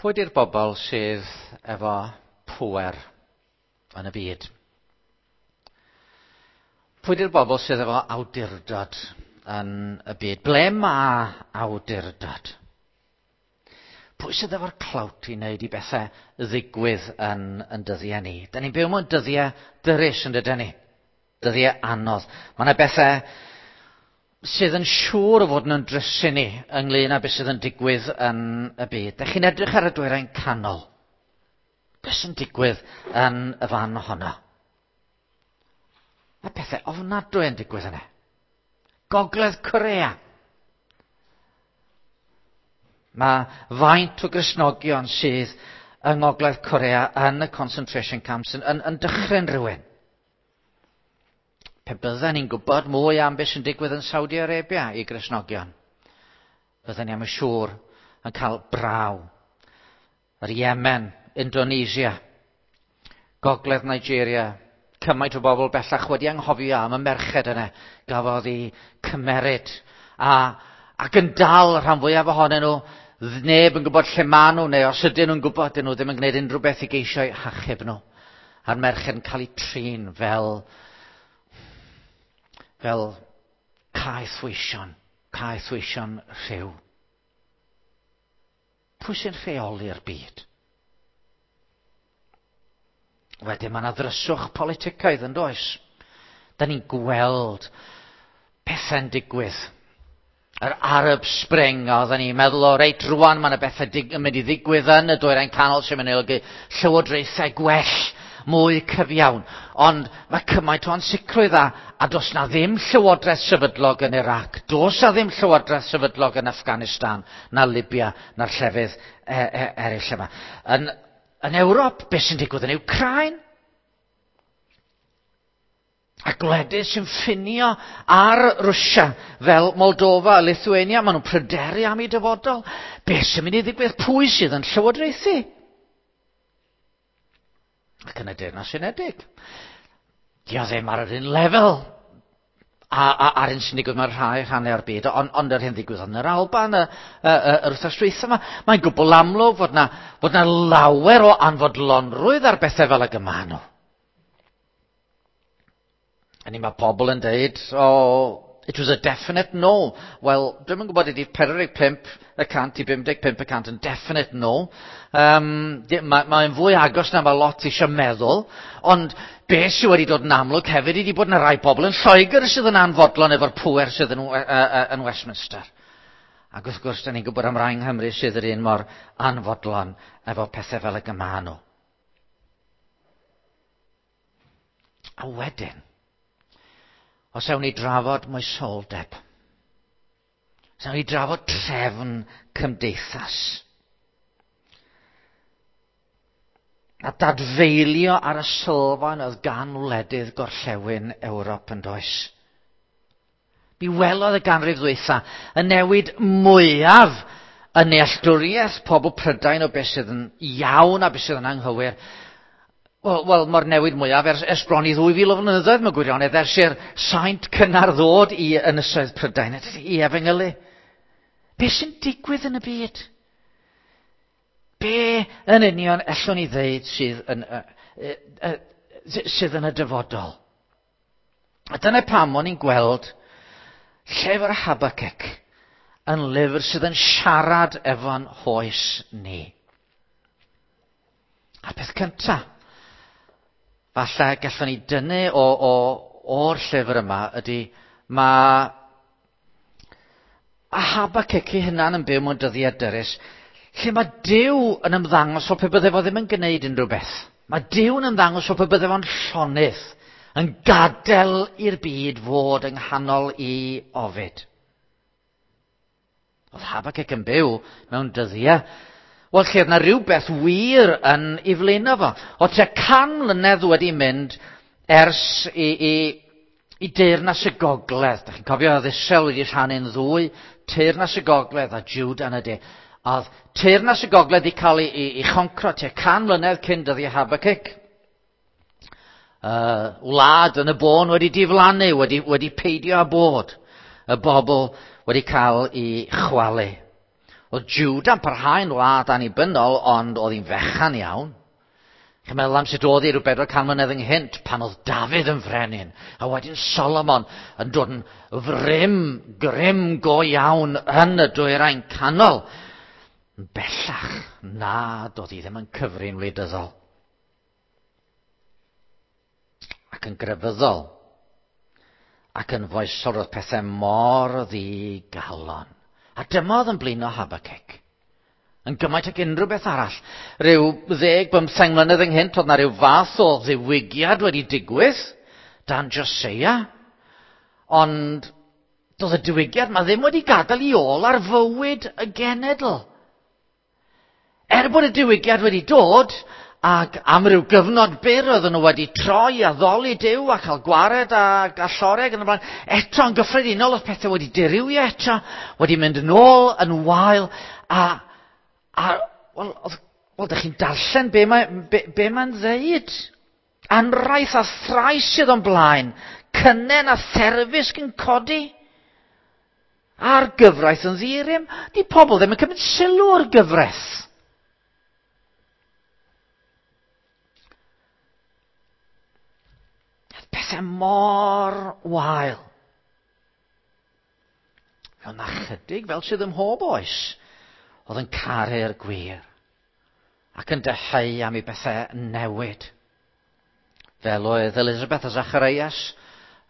Pwy di'r bobl sydd efo pŵer yn y byd? Pwy di'r bobl sydd efo awdurdod yn y byd? Ble mae awdurdod? Pwy sydd efo'r clout i wneud i bethau ddigwydd yn, yn dyddiau ni? Da ni'n byw mewn dyddiau dyrys yn dydyn ni. Dyddiau anodd. Mae yna bethau sydd yn siŵr o fod yn drysu ni ynglyn â beth sydd yn digwydd yn y byd. Dych chi'n edrych ar y dwyrain canol. Beth sy'n digwydd yn y fan honno? Mae pethau ofnadwy yn digwydd yna. Gogledd Corea. Mae faint o Gristnogion sydd yng Ngogledd Corea yn y concentration camps yn, yn, yn dychryn rhywun. Pe bydden ni'n gwybod mwy am beth sy'n digwydd yn Saudi Arabia i Gristnogion, bydden ni am y siŵr yn cael braw. Yr Yemen, Indonesia, Gogledd Nigeria, cymaint o bobl bellach wedi anghofio am y merched yna gafodd eu cymeryd a, ac yn dal rhan fwyaf ohonyn nhw neb yn gwybod lle maen nhw neu os ydyn nhw'n gwybod dyn nhw ddim yn gwneud unrhyw beth i geisio eu hachub nhw. A'r merched yn cael eu trin fel fel caethweision, caethweision rhyw. Pwy sy'n rheoli'r byd? Wedyn mae yna ddryswch politicaidd yn does? Da ni'n gweld pethau'n digwydd. Yr Arab Spring, a oedden ni'n meddwl, o reit, rwan mae yna bethau dig yn mynd i ddigwydd yn y dwyrain canol sy'n mynd i olygu llywodraethau gwell, mwy cyfiawn. Ond mae cymaint o ansicrwydd a, a does na ddim llywodraeth sefydlog yn Iraq, does na ddim llywodraeth sefydlog yn Afghanistan, na Libya, na'r llefydd e, e, eraill yma. Yn, yn Ewrop, beth sy'n digwydd yn Ukraine? A gwledydd sy'n ffinio ar Rwsia, fel Moldova a Lithuania, maen nhw'n pryderu am eu dyfodol. Beth sy'n mynd i ddigwydd? Pwy sydd yn llywodraethu? Ac yn y Deyrnas Unedig. Di o ddim ar yr un lefel a, a, a'r un sy'n digwydd mewn rhai rhannau o'r byd, ond, ond yr hyn ddigwydd yn yr Alban y, y, y, yr wythnos dwytha yma, mae'n gwbl amlwg fod na, fod na lawer o anfodlonrwydd ar bethau fel ag y maen nhw. A ni mae pobl yn deud, oh, it was a definite no. Wel, dwi'm yn gwybod ydy 45 y cant i 55 y cant yn definite no. Um, Mae'n mae fwy agos na mae lot eisiau meddwl, ond beth sydd wedi dod yn amlwg hefyd ydy bod yna rai pobl yn Lloegr sydd yn anfodlon efo'r pŵer sydd yn, yn Westminster. Ac wrth gwrs, da ni'n gwybod am rai yng Nghymru sydd yr un mor anfodlon efo pethau fel y gyma nhw. A wedyn, os ewn ni drafod moesoldeb, os ewn ni drafod trefn cymdeithas, a dadfeilio ar y sylfaen oedd gan wledydd gorllewin Ewrop yn does. Mi welodd y ganrif ddwytha y newid mwyaf yn nealltwriaeth pobl Prydain o beth sydd yn iawn a beth sydd yn anghywir. Wel, wel mae'r newid mwyaf ers, ers bron i 2,000 o flynyddoedd mewn gwirionedd, ers i'r saint cynnar ddod i ynysoedd Prydain, i efengylu. Be sy'n digwydd yn y byd? Be yn union ellwn ni ddeud sydd yn, uh, uh, uh, sydd yn y dyfodol? A dyna pam o'n i'n gweld llyfr Habakkuk yn lyfr sydd yn siarad efo'n hoes ni. A peth cynta, falle gallwn ni dynnu o, o, o'r llyfr yma ydy mae a Habakkuk ei hunan yn byw mewn dyddiau dyrys, lle mae Duw yn ymddangos fel pe bydde fo ddim yn gwneud unrhyw beth. Mae Duw yn ymddangos fel pe bydde fo'n llonydd, yn gadael i'r byd fod yng nghanol i ofid. Oedd Habakkuk yn byw mewn dyddiau Wel, lle oedd na rhywbeth wir yn ei flaenau fo. O tua 100 mlynedd wedi mynd ers i, i, i deyrnas y gogledd. Da chi'n cofio oedd Israel wedi rhannu'n ddwy, teyrnas y gogledd a Juda yn y de. Oedd teyrnas y gogledd wedi cael ei, ei, ei choncro tua 100 mlynedd cyn dyddiau Habakkuk. Wlad yn y bôn wedi diflannu, wedi, wedi peidio â bod. Y bobl wedi cael ei chwalu. Oedd Juda'n parhau'n wlad annibynnol, ond oedd hi'n fechan iawn. Chi'n meddwl am sut oedd hi rhyw 400 mlynedd ynghynt pan oedd Dafydd yn frenin, a wedyn Solomon yn dod yn frym, grym go iawn yn y dwyrain canol. Bellach, na, doedd hi ddim yn cyfri'n wleidyddol. Ac yn grefyddol. Ac yn foesol roedd pethau mor ddigalon. A dyma oedd yn blino Habakkuk. Yn gymaint ag unrhyw beth arall. Rhyw 10-15 mlynedd ynghynt, oedd na rhyw fath o ddiwygiad wedi digwydd dan Joseia. Ond doedd y diwygiad ma ddim wedi gadael i ôl ar fywyd y genedl. Er bod y diwygiad wedi dod, ac am ryw gyfnod byr oedden nhw wedi troi a ddoli Duw a cael gwared a alloreg yn y blaen, eto yn gyffredinol oedd pethau wedi dirywio eto, wedi mynd yn ôl yn wael, a wel, ydych chi'n darllen be mae'n be mae'n ddeud. Anraith a thrais sydd o'n blaen, cynnen a therfysg yn codi. A'r gyfraith yn ddirym, di pobl ddim yn cymryd sylw o'r gyfraith. Pethau mor wael. Fel na chydig, fel sydd ym mhob oes, oedd yn caru'r gwir ac yn dyheu am i bethau newid. Fel oedd Elizabeth a Zacharias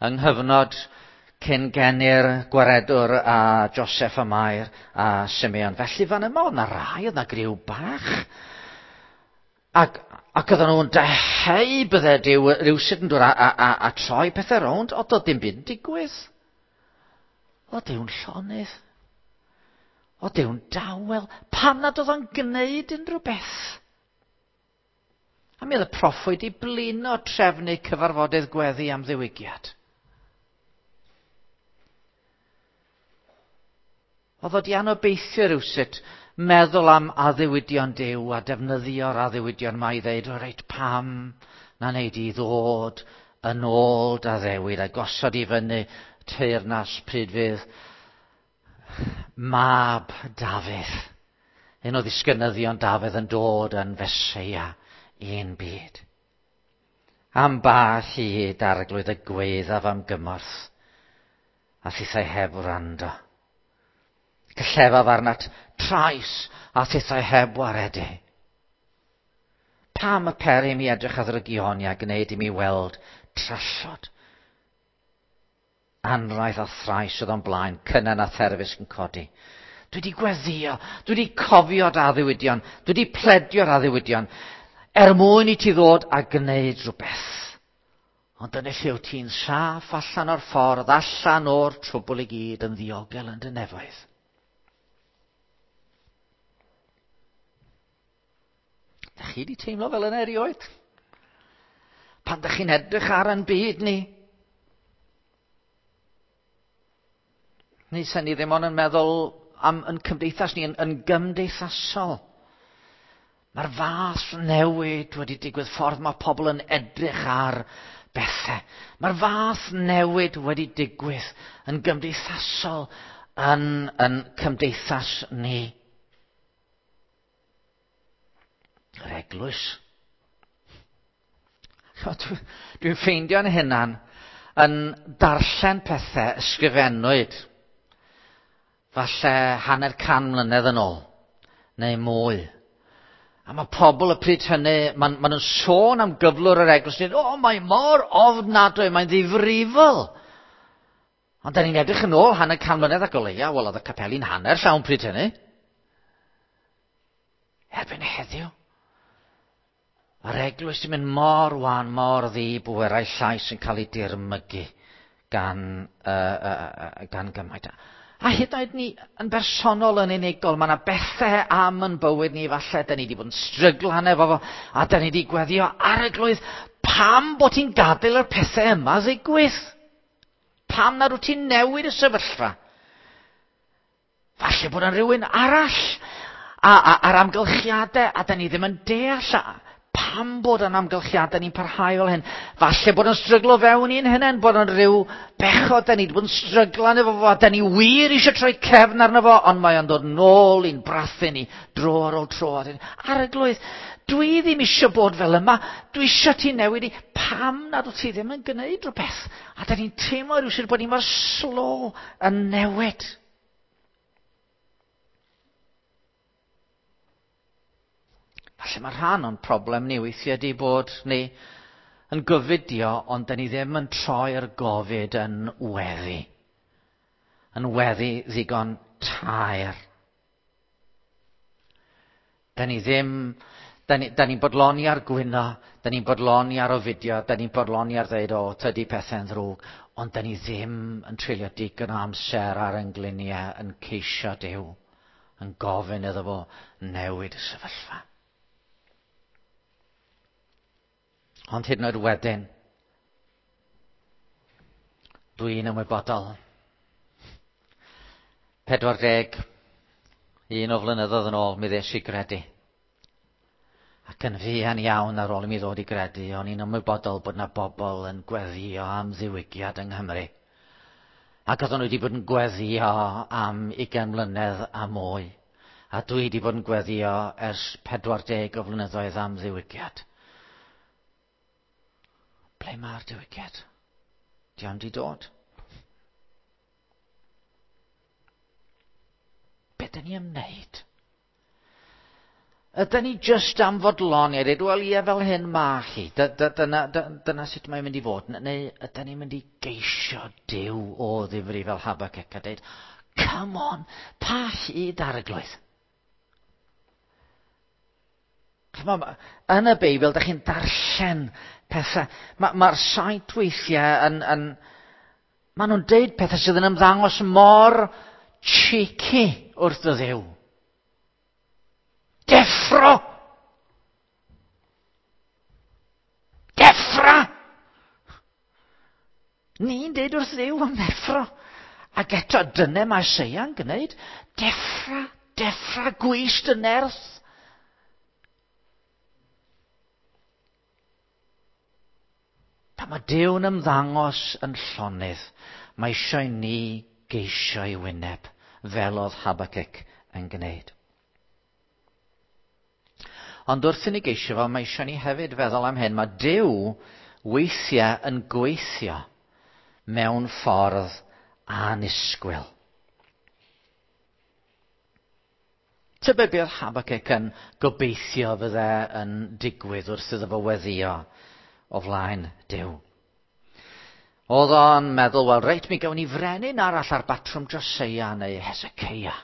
yng nghyfnod cyn geni'r gwaredwr a Joseph a Mair a Simeon. Felly fan yma oedd na rai, oedd na griw bach. Ac oedden nhw'n dyheu bydde Duw rywsut yn dod a troi pethau rownd, ond doedd dim byd yn digwydd. Oedd Duw'n llonydd. Oedd Duw'n dawel. Pam nad oedd o'n gwneud unrhyw beth? A mi oedd y proffwyd i blino trefnu cyfarfodydd gweddi am ddiwygiad. Oedd o di anobeithio rywsut meddwl am addewidion Duw a defnyddio'r addewidion yma i ddeud, o reit, pam na wneud i ddod yn ôl dy addewid a gosod i fyny teyrnas pryd fydd mab Dafydd, un o ddisgynyddion Dafydd yn dod yn Feseia i'n byd. Am ba hyd arglwydd y gweddaf am gymorth, a thithau heb wrando. Cyllefaf arnat trais a thithau heb waredu. Pam y peri mi edrych ar ddrygioni a gwneud i mi weld trallod? Anraith a thrais oedd o'n blaen, cynnen a therfysg yn codi. Dwi wedi gweddio, dwi wedi cofio dy addewidion, dwi wedi pledio'r addewidion, er mwyn i ti ddod a gwneud rhywbeth. Ond dyna lle wyt ti'n saff allan o'r ffordd, allan o'r trwbl i gyd yn ddiogel yn dy nefoedd. Dach chi wedi teimlo fel yna erioed? Pan dach chi'n edrych ar yn byd ni? Neu sen ni ddim ond yn meddwl am yn cymdeithas ni yn gymdeithasol. Mae'r fath newid wedi digwydd, ffordd mae pobl yn edrych ar bethau. Mae'r fath newid wedi digwydd yn gymdeithasol yn cymdeithas ni. Yr eglwys. Dwi'n ffeindio'n hunan yn darllen pethau ysgrifennwyd falle 150 mlynedd yn ôl, neu mwy. A mae pobl y pryd hynny, maen nhw'n sôn am gyflwr yr eglwys, dweud, o, mae mor ofnadwy, mae'n ddifrifol. Ond da ni'n edrych yn ôl 150 mlynedd ac o leia, wel, oedd y capeli'n hanner llawn pryd hynny. Erbyn heddiw, mae'r eglwys yn mynd mor wan, mor ddi-bwerau llais yn cael ei dirmygu gan gymaint. A hyd yn oed ni yn bersonol yn unigol, mae yna bethau am yn bywyd ni falle, da ni wedi bod yn stryglan efo fo, a da ni wedi gweddio arglwydd, pam bod ti'n gadael yr pethau yma ddigwydd? Pam nad wyt ti'n newid y sefyllfa? Falle bod yna rhywun arall a'r amgylchiadau, a da ni ddim yn deall pam bod yn amgylchiadau ni'n parhau fel hyn. Falle bod yn stryglo fewn i'n hunain, bod yn rhyw bechod, da ni wedi bod yn stryglan efo fo, da ni wir eisiau troi cefn arno fo, ond mae o'n dod nôl i'n brathu ni dro ar ôl tro. Arglwydd, dwi ddim eisiau bod fel yma, dwi eisiau ti newid i, pam nad wyt ti ddim yn gwneud rhywbeth? A da ni'n teimlo rhywsut bod ni mor slo yn newid. Falle mae rhan o'n problem ni weithiau di bod ni yn gofidio, ond da ni ddim yn troi'r gofid yn weddi. Yn weddi ddigon taer. Da ni ddim... Da ni'n ni bodloni ar gwyno, da ni'n bodloni ar ofidio, da ni'n bodloni ar ddeud, o, tydi pethau'n ddrwg, ond da ni ddim yn treulio digon o amser ar ein gliniau yn ceisio Duw, yn gofyn iddo fo newid y sefyllfa. Ond hyd yn oed wedyn, dwi'n ymwybodol. 41 o flynyddoedd yn ôl, mi ddes i gredu. Ac yn fuan iawn ar ôl i mi ddod i gredu, o'n i'n ymwybodol bod 'na bobl yn gweddïo am ddiwygiad yng Nghymru. Ac oedden nhw wedi bod yn gweddïo am 20 mlynedd a mwy. A dwi wedi bod yn gweddïo ers 40 o flynyddoedd am ddiwygiad. Ble mae'r diwygiad? Di o'm di dod. Be dyn ni am wneud? Ydyn ni jyst am fodloni a dweud, wel ie, fel hyn ma chi, dyna, dyna sut mae'n mynd i fod. Neu ydyn ni'n mynd i geisio Duw o ddifri fel Habakkuk a dweud, come on, pa hyd Arglwydd? Ch'mo', yn y Beibl, da chi'n darllen pethau. Mae'r ma saint weithiau yn, yn... Maen nhw'n deud pethau sydd yn ymddangos mor cheeky wrth y Dduw. Deffro! Deffra! Ni'n deud wrth Dduw am ddeffro. Ac eto, dyna mae Seia'n gwneud. Deffra, deffra, gwys dy nerth. Pan mae Duw'n ymddangos yn llonydd, mae eisiau ni geisio ei wyneb, fel oedd Habakkuk yn gwneud. Ond wrth i ni geisio fo, mae eisiau ni hefyd feddwl am hyn. Mae Duw weithiau yn gweithio mewn ffordd annisgwyl. Tybed beth oedd Habakkuk yn gobeithio fydde yn digwydd wrth iddo fo weddïo o flaen Duw. Oedd o'n meddwl, wel reit, mi gawn ni frenin arall ar batrwm Joseia neu Hezekiah.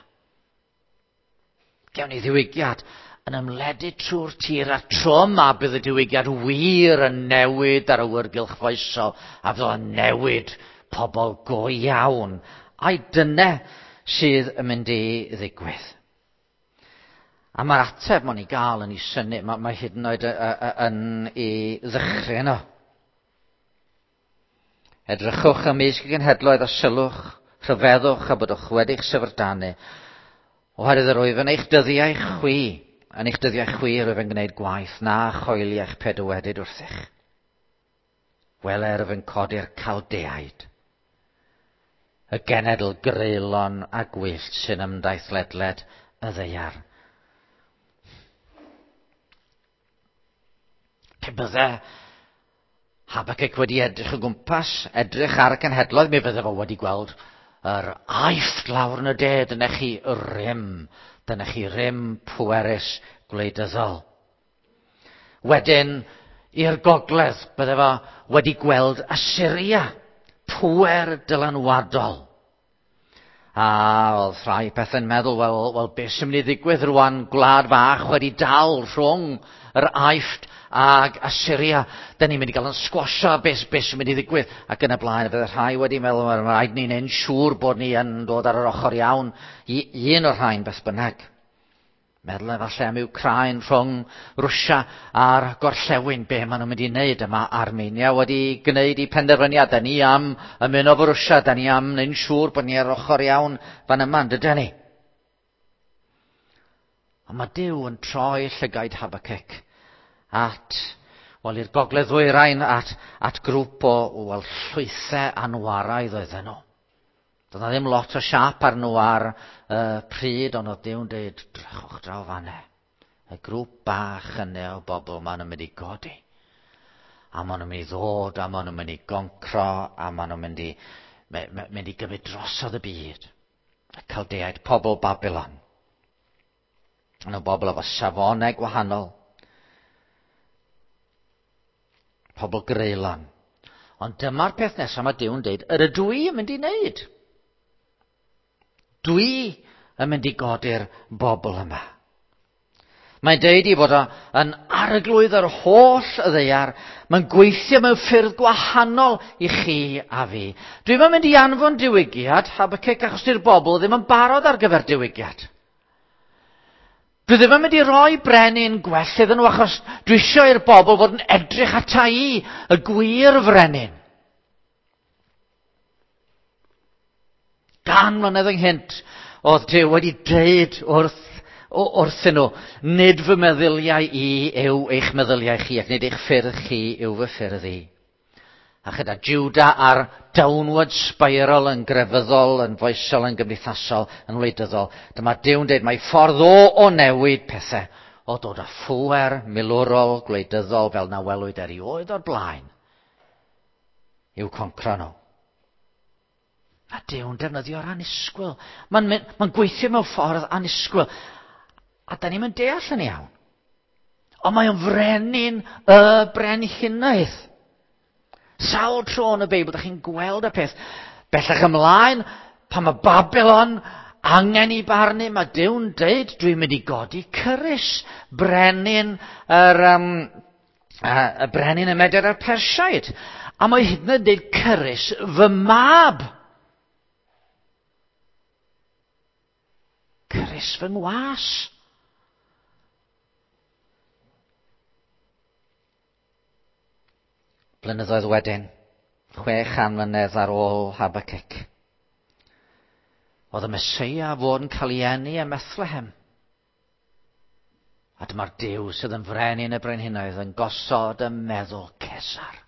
Gawn ni ddiwygiad yn ymledu trwy'r tir a tro yma bydd y diwygiad wir yn newid ar awyrgylch foesol a fydd o'n newid pobl go iawn. Ai dyna sydd yn mynd i ddigwydd? A mae'r ateb mae'n ei gael yn ei synnu, mae, mae hyd yn oed yn ei ddychryn o. Edrychwch ymysg y genhedloedd a sylwch, rhyfeddwch a byddwch wedi'ch syfrdanu, oherwydd yr wyf yn eich dyddiau chwi, yn eich dyddiau chwi yr wyf yn gwneud gwaith na choeliech pe dywedyd wrthych. Wele yr wyf yn codi'r Caldeaid, y genedl greulon a gwyllt sy'n ymdaith ledled y ddaear. Pe bydde Habakkuk wedi edrych o gwmpas, edrych ar y cenhedloedd, mi fydde fo wedi gweld yr Aifft lawr yn y de, dyna chi rym, dyna chi rym pwerus gwleidyddol. Wedyn, i'r gogledd, bydde fo wedi gweld Assyria, pŵer dylanwadol. A oedd rhai pethau'n meddwl, wel, wel beth sy'n mynd i ddigwydd rwan, gwlad fach wedi dal rhwng yr Aifft ag Assyria. Da ni'n mynd i gael yn sgwasio beth, beth sy'n mynd i ddigwydd. Ac yn y blaen, fydde rhai wedi meddwl, mae'n rhaid ni'n ein siŵr bod ni yn dod ar yr ochr iawn i un o'r rhain beth bynnag. Meddwl efallai am Wcráin rhwng Rwsia a'r gorllewin, be maen nhw'n mynd i wneud. Yma Armenia wedi gwneud eu penderfyniad. Da ni am ymuno efo Rwsia, da ni am wneud siŵr bod ni ar ochr iawn fan yma, yn dydyn ni? Ond mae Duw yn troi llygaid Habakkuk at wel, i'r gogledd ddwyrain at, at grŵp o, wel, llwythau anwaraidd oedden nhw. Doedd na ddim lot o siap ar nhw ar uh, pryd, ond oedd Duw'n dweud, drychwch draw fanne. Y grŵp bach yna o bobl maen nhw'n mynd i godi. A maen nhw'n mynd i ddod, a maen nhw'n mynd i goncro, a maen nhw'n mynd i, mynd i gymryd drosodd y byd. Y Caldeaid, pobl Babylon. Yn y bobl efo safonau gwahanol. Pobl greulon. Ond dyma'r peth nesaf mae Duw'n deud, yr ydw i yn mynd i wneud. Dwi yn mynd i godi'r bobl yma. Mae'n deud i fod o yn arglwydd yr holl y ddaear. Mae'n gweithio mewn ffyrdd gwahanol i chi a fi. Dwi'm yn mynd i anfon diwygiad, Habacuc, achos di'r bobl ddim yn barod ar gyfer diwygiad. Dwi ddim yn mynd i roi brenin gwell iddyn nhw achos dwi eisiau i'r bobl fod yn edrych ata i, y gwir frenin. Gan mlynedd ynghynt, oedd Duw wedi deud wrth, wrthyn nhw, nid fy meddyliau i yw eich meddyliau chi, ac nid eich ffyrdd chi yw fy ffyrdd i. A chyda Juda ar downward spiral yn grefyddol, yn foesol, yn gymdeithasol, yn wleidyddol, dyma Duw'n deud mae ffordd o o newid pethau, o dod â phŵer milwrol, gwleidyddol fel na welwyd erioed o'r blaen, i'w concro nhw. A Duw'n defnyddio'r annisgwyl. Mae'n ma gweithio mewn ffordd annisgwyl. A da ni'n deall yn iawn. Ond mae o'n frenin y brenhinoedd. Sawl tro yn y Beibl, da chi'n gweld y peth. Bellach ymlaen, pan mae Babylon angen i barnu, mae Duw'n deud, dwi'n mynd i godi Cyrus, brenin yr, um, y brenin y Medr a'r Persiaid. A mae hyd yn oed deud Cyrus, fy mab. Cyrus fy ngwas. Blynyddoedd wedyn, 600 mlynedd ar ôl Habacuc, oedd y Meseia fod yn cael ei eni ym Methlehem. A dyma'r Duw sydd yn frenin y brenhinoedd yn gosod y meddwl Cesar.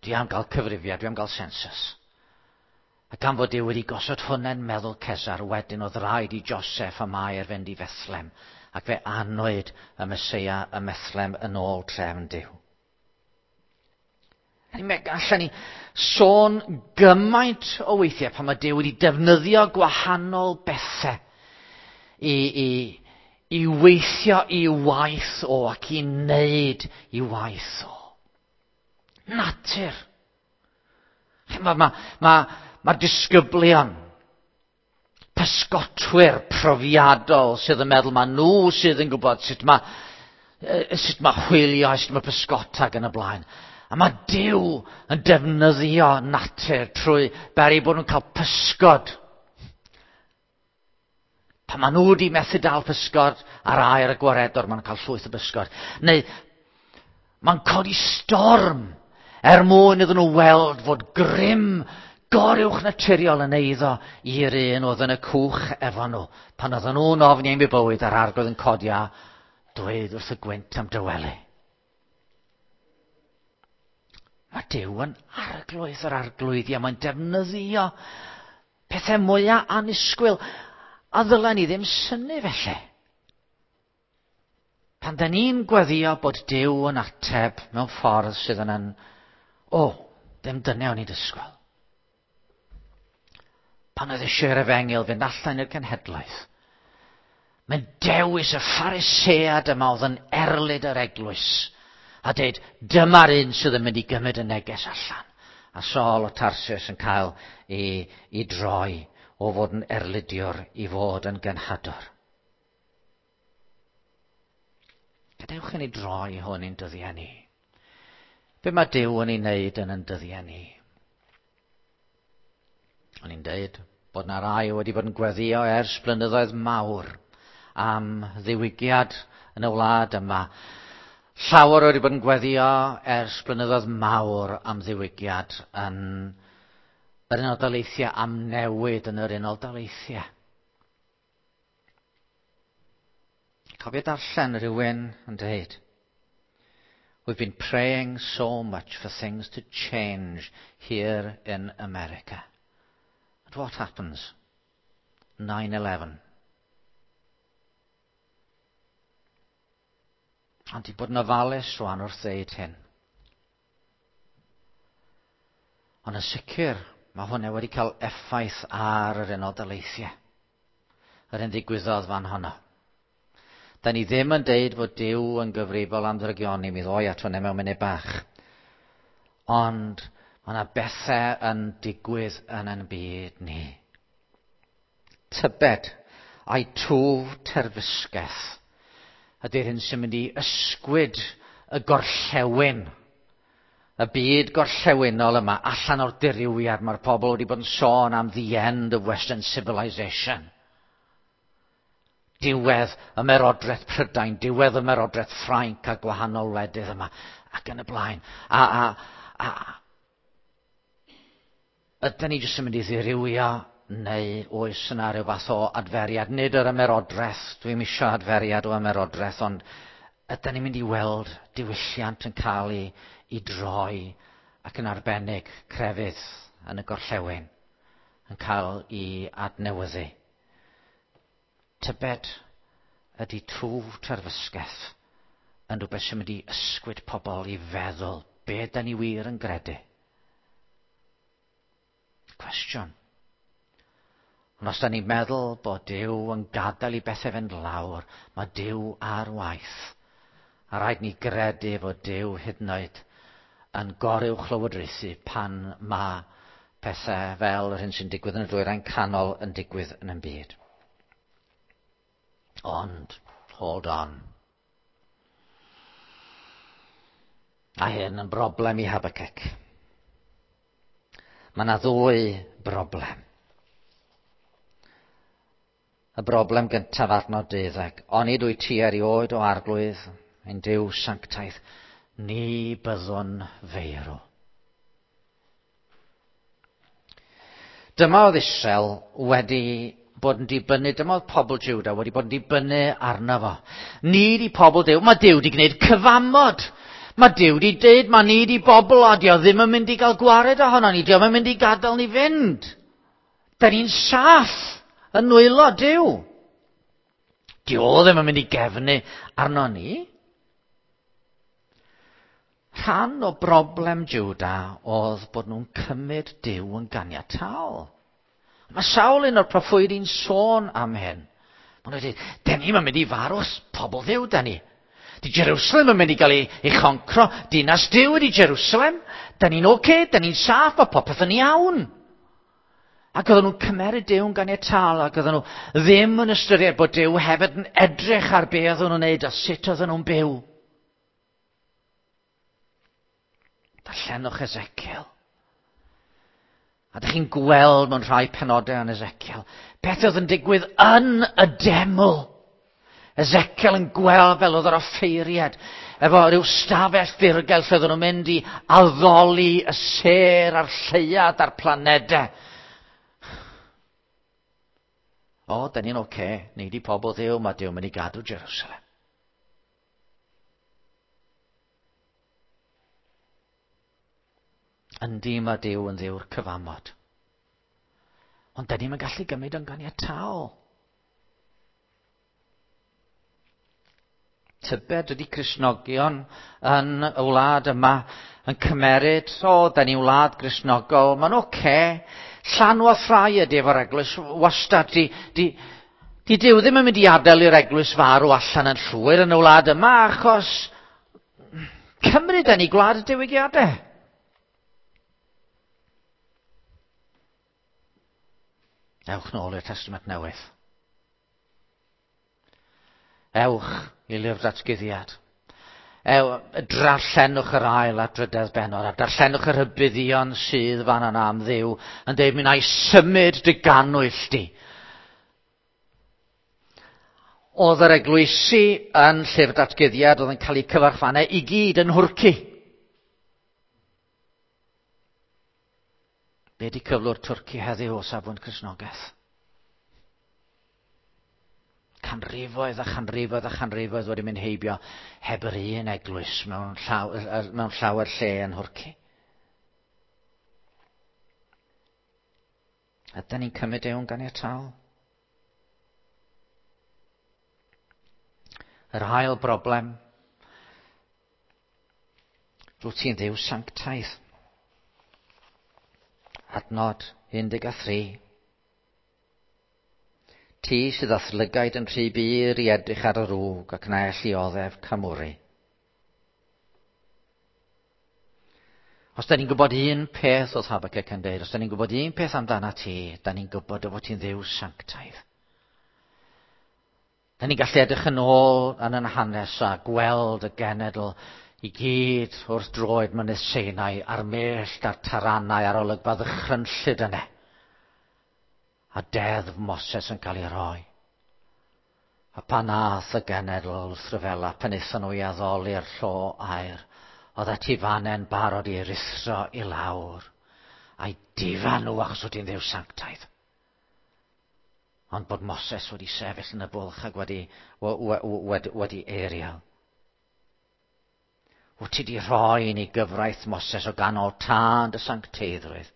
Dwi am gael cyfrifiad, dwi am gael census. A gan fod Duw wedi gosod hwnna'n meddwl Cesar, wedyn oedd rhaid i Joseph a Mair fynd i Fethlem, ac fe anwyd y Meseia ym Methlem yn ôl trefn Duw. Allan ni sôn gymaint o weithiau pan mae Duw wedi defnyddio gwahanol bethau i, i, i weithio i waith o ac i wneud i waith o. Natur. Mae ma, ma, ma disgyblion, pysgotwyr profiadol sydd yn meddwl mae nhw sydd yn gwybod sut mae, sut mae hwylio, sut mae pysgota ac yn y blaen. A mae Duw yn defnyddio natur trwy beri bod nhw'n cael pysgod. Pan maen nhw wedi methu dal pysgod ar aer y gwaredor, maen nhw'n cael llwyth o bysgod. Neu mae'n codi storm er mwyn iddyn nhw weld fod grym goruwch naturiol yn eiddo i'r un oedd yn y cwch efo nhw. Pan oedden nhw'n ofni am eu bywyd a'r arglwydd yn codi a dweud wrth y gwynt am dywelu. Mae Duw yn arglwydd yr arglwyddi a mae'n defnyddio pethau mwyaf annisgwyl. A ddylen ni ddim synnu felly. Pan da ni'n gweddio bod Duw yn ateb mewn ffordd sydd yn yn, o, ddim dyna o'n i'n disgwyl. Pan oedd eisiau'r efengyl fynd allan i'r cenhedlaeth, mae'n dewis y Pharisead yma oedd yn erlid yr eglwys a dweud, dyma'r un sydd yn mynd i gymryd y neges allan. A Saul o Tarsus yn cael ei, ei droi o fod yn erlidiwr i fod yn genhadwr. Gadewch i ni droi hwn i'n dyddiau ni. Be mae Duw yn ei wneud yn yn dyddiau ni? O'n i'n deud bod na rai wedi bod yn gweddio ers blynyddoedd mawr am ddiwygiad yn y wlad yma. Llawer wedi bod yn gweddio ers blynyddoedd mawr am ddiwygiad yn yr Unol Daleithiau, am newid yn yr Unol Daleithiau. Cofio darllen rhywun yn dweud, We've been praying so much for things to change here in America. And what happens? 9-11. Ond i bod yn ofalus rwan wrth ddeud hyn. Ond yn sicr, mae hwnna wedi cael effaith ar yr Unol Daleithiau. Yr un ddigwyddodd fan honno. Da ni ddim yn deud fod Duw yn gyfrifol am ddrygioni, mi ddoi at hwnna mewn munud bach. Ond mae yna bethau yn digwydd yn ein byd ni. Tybed, a'i twf terfysgaeth ydy'r hyn sy'n mynd i ysgwyd y gorllewin, y byd gorllewinol yma, allan o'r dirywiad. Mae'r pobl wedi bod yn sôn am the end of Western civilization. Diwedd ymerodraeth Prydain, diwedd ymerodraeth Ffrainc a gwahanol wledydd yma, ac yn y blaen. A ydyn ni jyst yn mynd i ddirywio neu oes yna rhyw fath o adferiad? Nid yr ymerodraeth, dwi'm isio adferiad o ymerodraeth, ond ydyn ni'n mynd i weld diwylliant yn cael ei droi ac yn arbennig crefydd yn y gorllewin yn cael ei adnewyddu. Tybed ydy twf terfysgaeth yn rhywbeth sy'n mynd i ysgwyd pobl i feddwl be da ni wir yn gredu? Cwestiwn. Ond os da ni'n meddwl bod Duw yn gadael i bethau fynd lawr, mae Duw ar waith. A rhaid ni gredu fod Duw hyd yn oed yn goruwchlywodraethu pan mae pethau fel yr hyn sy'n digwydd yn y dwyrain canol yn digwydd yn ein byd. Ond, hold on. A hyn yn broblem i Habakkuk. Mae yna ddwy broblem. Y broblem gyntaf adnod 12. Onid wyt ti erioed o Arglwydd, ein Duw sanctaidd, ni byddwn feirw. Dyma oedd Israel wedi bod yn dibynnu, dyma oedd pobl Juda wedi bod yn dibynnu arno fo. Ni di pobl Duw, mae Duw wedi gwneud cyfamod. Mae Duw wedi dweud, mae ni di bobl a dio ddim yn mynd i gael gwared ohono ni, dio ddim yn mynd i gadael ni fynd. Da ni'n saff yn nwylo Duw. Dio ddim yn mynd i gefnu arno ni. Rhan o broblem Juda oedd bod nhw'n cymryd Duw yn ganiataol. Mae sawl un o'r proffwydi'n sôn am hyn. Maen nhw'n dweud, den ni'n mynd i farw, pobl Dduw, da ni. Di Jerusalem yn mynd i gael ei choncro, dinas Duw ydi Jerusalem. Da ni'n oce, okay, da ni'n saff, mae popeth yn iawn. Ac oedden nhw'n cymeryd Duw yn ganiataol, ac oedden nhw ddim yn ystyried bod Duw hefyd yn edrych ar be oedden nhw'n neud a sut oedden nhw'n byw. Darllenwch Ezekiel. A dych chi'n gweld mewn rhai penodau yn Ezekiel, beth oedd yn digwydd yn y deml. Ezekiel yn gweld fel oedd yr offeiriad, efo rhyw stafell ddirgel lle oedden nhw'n mynd i addoli y sêr a'r lleuad a'r planedau. O, da ni'n oce, okay. Ni di pobl Dduw, mae Duw mynd i gadw Jerusalem. Yndi, mae Duw yn Dduw'r cyfamod. Ond da ni'n gallu gymryd yn ganiataol. Tybed ydy Cristnogion yn y wlad yma yn cymeryd, o, da ni'n wlad Gristnogol, mae'n oce. Okay. Llanw a thrai ydy efo'r eglwys, wastad, di Duw ddim yn mynd i adael i'r eglwys farw allan yn llwyr yn y wlad yma, achos Cymru da ni gwlad y diwygiadau. Ewch nôl i'r Testament Newydd. Ewch i lyfr datguddiad. Darllenwch yr ail a drydedd bennod, a darllenwch yr rhybuddion sydd fan yna am Dduw, yn dweud, mi wna i symud dy gannwyll di. Oedd yr eglwysi yn llyfr datguddiad oedd yn cael eu cyfarchfannau i gyd yn Nhwrci. Be di cyflwr Twrci heddiw o safbwynt Cristnogaeth? Canrifoedd a chanrifoedd a chanrifoedd wedi mynd heibio heb yr un eglwys mewn llawer lle yn Nhwrci. Ydy ni'n cymryd ewn ganiataol? Yr ail broblem, rwyt ti'n Dduw sanctaidd. Adnod 13. Ti sydd â'th lygaid yn rhy bur i edrych ar y rwg ac na elli oddef camwri. Os da ni'n gwybod un peth oedd Habakkuk yn dweud, os da ni'n gwybod un peth amdana ti, da ni'n gwybod o fod ti'n Dduw sanctaidd. Da ni'n gallu edrych yn ôl yn yn hanes a gweld y genedl i gyd wrth droed mynydd Sinai a'r mellt a'r taranau a'r olygfa ddychrynllyd yna. A deddf Moses yn cael ei roi. A pan ath y genedl wrth ryfela, pan aethon nhw i addoli'r llo aur, oedd atifane'n barod i ruthro i lawr, a'i difa nhw achos oedd hi'n Dduw sanctaidd. Ond bod Moses wedi sefyll yn y bwlch ac wedi eiriol. Wyt ti wedi rhoi i ni gyfraith Moses o ganol tân dy sancteiddrwydd.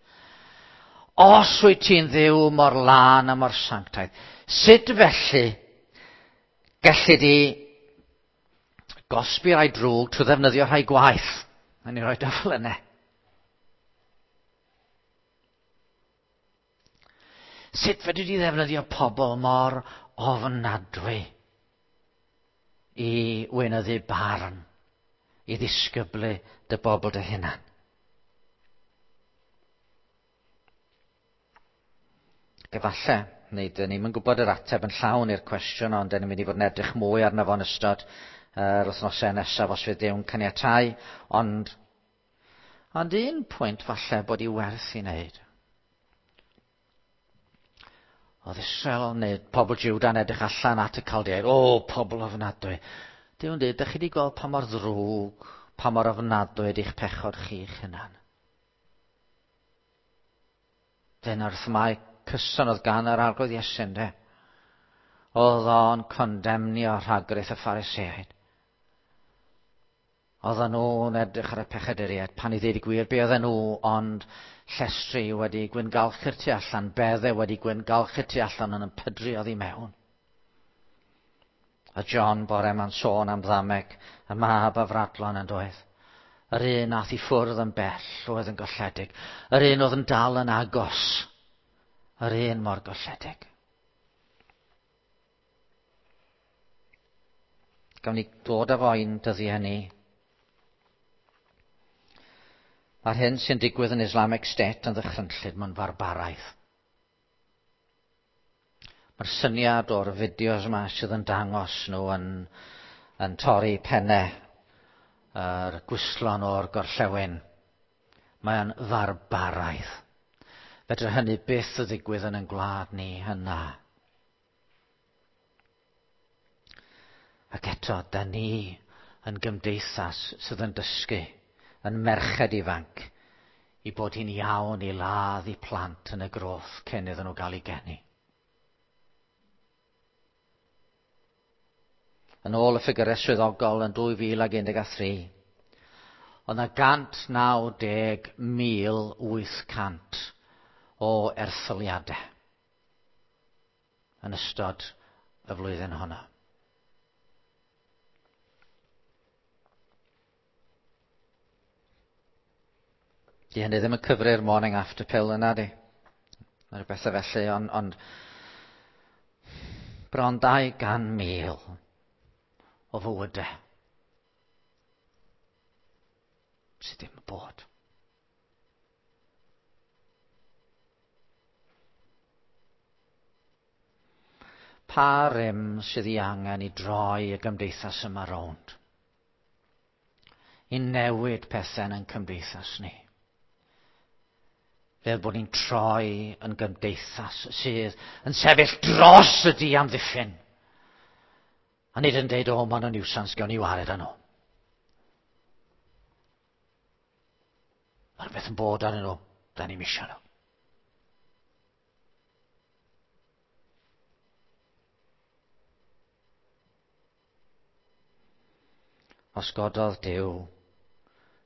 Os wyt ti'n Dduw mor lân a mor sanctaidd, sut felly gelli di gosbi rai drwg trwy ddefnyddio rhai gwaith? Na ni roi fel yna. Sut fedri di ddefnyddio pobl mor ofnadwy i weinyddu barn, i ddisgyblu dy bobl dy hunan? Efallai, neu dyn ni'm yn gwybod yr ateb yn llawn i'r cwestiwn, ond dyn ni'n mynd i fod yn edrych mwy arno fo yn ystod yr wythnosau nesaf os fydd Duw'n caniatáu, ond ond un pwynt falle bod i werth i wneud. Oedd Israel neu pobl Juda'n edrych allan at y Caldeaid. O, pobl ofnadwy. Duw'n dweud, dych chi wedi gweld pa mor ddrwg, pa mor ofnadwy ydy'ch pechod chi'ch hunan. Dyna'r themâu cyson oedd gan yr Arglwydd Iesu, ynde? Oedd o'n condemnio rhagrith y Phariseaid. Oedden nhw'n edrych ar y pechaduriaid, pan i ddweud y gwir, be oedden nhw ond llestri wedi gwyngalchu'r tu allan, bedde wedi gwyngalchu'r tu allan yn pydru oddi mewn. A John bore ma'n sôn am ddameg, y mab afradlon yn doedd. Yr un ath i ffwrdd yn bell oedd yn golledig. Yr un oedd yn dal yn agos. Yr un mor golledig. Gawn ni dod â fo i'n dyddiau ni. Mae'r hyn sy'n digwydd yn Islamic State yn ddychrynllyd, mae'n farbaraidd. Mae'r syniad o'r fideos yma sydd yn dangos nhw yn torri pennau yr gwystlon o'r gorllewin, mae'n farbaraidd. Fedra hynny byth y ddigwydd yn ein gwlad ni yna. Ac eto, da ni yn gymdeithas sydd yn dysgu, yn merched ifanc, i bod hi'n iawn i ladd i plant yn y groth cyn iddyn nhw gael eu geni. Yn ôl y ffigurau swyddogol yn 2013, oedd yna 190,800 o erthyliadau yn ystod y flwyddyn honno. Di hynny ddim yn cyfri'r morning after pill yna, di. Mae rhywbeth felly, ond bron 200,000 o fywydau sydd ddim yn bod. Pa rym sydd ei angen i droi y gymdeithas yma rownd? I newid pethau yn ein cymdeithas ni. Fel bod ni'n troi yn gymdeithas sydd yn sefyll dros y diamddiffyn. A nid yn deud, o, maen nhw'n niwsans, gawn ni wared â nhw. Mae rhywbeth yn bod arnyn nhw, da ni'm isio nhw. Os gododd Duw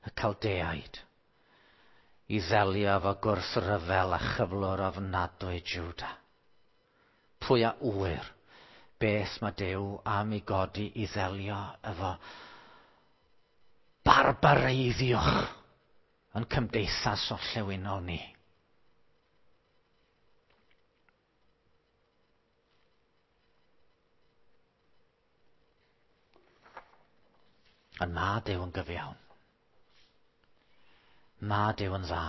y Caldeaid i ddelio efo gwrthryfel a chyflwr ofnadwy Juda. Pwy a ŵyr beth mae Duw am ei godi i ddelio efo barbareiddiwch yn cymdeithas orllewinol ni. Ond mae Duw yn gyfiawn. Mae Duw yn dda.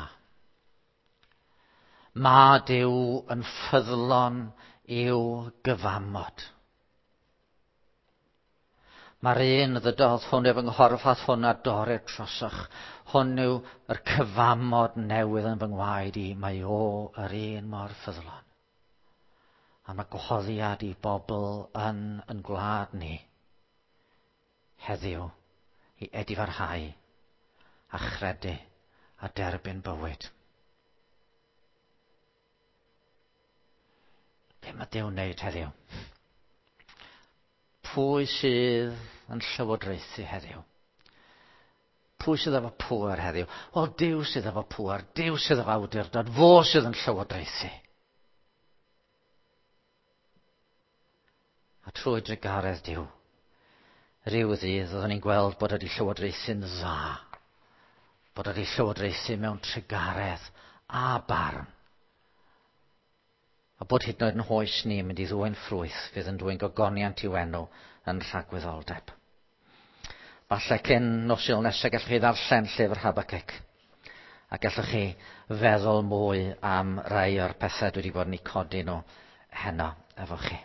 Mae Duw yn ffyddlon i'w gyfamod. Mae'r un ddydodd hwn yw fy nghorff a hwn a dorrir trosoch. Hwn yw yr cyfamod newydd yn fy ngwaed i. Mae o yr un mor ffyddlon. A mae gwahoddiad i bobl yn gwlad ni heddiw i edifarhau a chredu a derbyn bywyd. Be mae Duw'n wneud heddiw? Pwy sydd yn llywodraethu heddiw? Pwy sydd efo pŵer heddiw? Wel, Duw sydd efo pŵer, Duw sydd efo awdurdod, fo sydd yn llywodraethu. A trwy drugaredd Duw, rhyw ddydd oeddwn ni'n gweld bod wedi llywodraethu'n dda, bod wedi llywodraethu mewn trugaredd a barn, a bod hyd yn oed yn hoes ni yn mynd i ddwyn ffrwyth fydd yn dwyn gogoniant i'w enw yn rhagwyddoldeb. Falle cyn nos Sul nesaf gallwch chi ddarllen llyfr Habacuc a gallwch chi feddwl mwy am rai o'r pethau dwi wedi bod yn eu codi nhw heno efo chi.